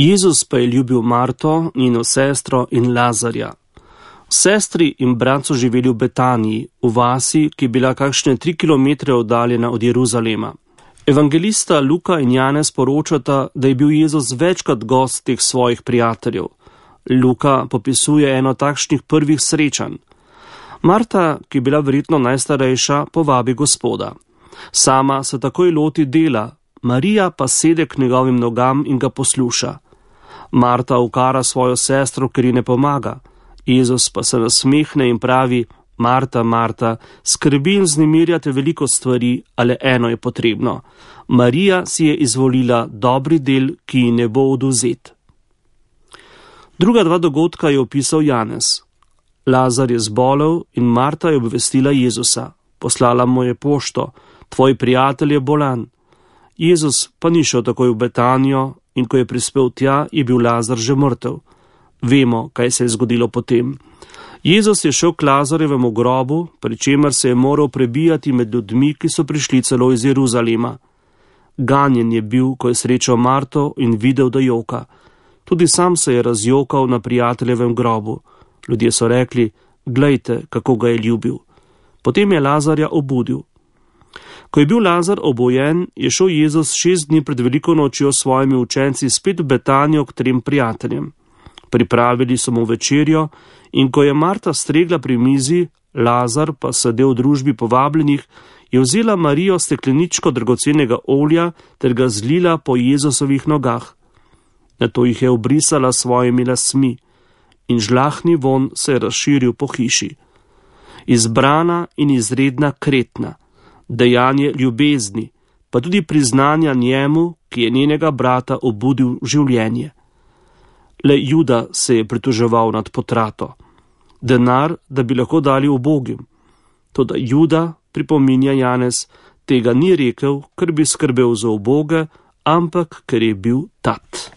Jezus pa je ljubil Marto, njeno sestro in Lazarja. Sestri in brat so živeli v Betaniji, v vasi, ki je bila kakšne 3 kilometre oddaljena od Jeruzalema. Evangelista Luka in Janez poročata, da je bil Jezus večkrat gost teh svojih prijateljev. Luka popisuje eno takšnih prvih srečanj. Marta, ki je bila verjetno najstarejša, povabi Gospoda. Sama se takoj loti dela, Marija pa sede k njegovim nogam in ga posluša. Marta ukara svojo sestro, ker ji ne pomaga. Jezus pa se nasmehne in pravi: Marta, Marta, skrbi in vznemirjate veliko stvari, ale eno je potrebno. Marija si je izvolila dobri del, ki ji ne bo odvzet. Druga dva dogodka je opisal Janez. Lazar je zbolel in Marta je obvestila Jezusa. Poslala mu je pošto: tvoj prijatelj je bolan. Jezus pa ni šel takoj v Betanijo in ko je prispel tja, je bil Lazar že mrtev. Vemo, kaj se je zgodilo potem. Jezus je šel k Lazarjevemu grobu, pri čemer se je moral prebijati med ljudmi, ki so prišli celo iz Jeruzalema. Ganjen je bil, ko je srečal Marto in videl, da joka. Tudi sam se je razjokal na prijateljevem grobu. Ljudje so rekli: glejte, kako ga je ljubil. Potem je Lazarja obudil. Ko je bil Lazar obojen, je šel Jezus 6 dni pred veliko nočjo s svojimi učenci spet v Betanijo k 3 prijateljem. Pripravili so mu večerjo in ko je Marta stregla pri mizi, Lazar pa sedel v družbi povabljenih, je vzela Marijo stekleničko dragocenega olja ter ga zlila po Jezusovih nogah. Nato jih je obrisala s svojimi lasmi in žlahni vonj se je razširil po hiši. Izbrana in izredna kretna, dejanje ljubezni, pa tudi priznanja njemu, ki je njenega brata obudil v življenje. Le Juda se je pritoževal nad potrato. Denar, da bi lahko dali ubogim. Toda Juda, pripominja Janez, tega ni rekel, ker bi skrbel za uboge, ampak ker je bil tat.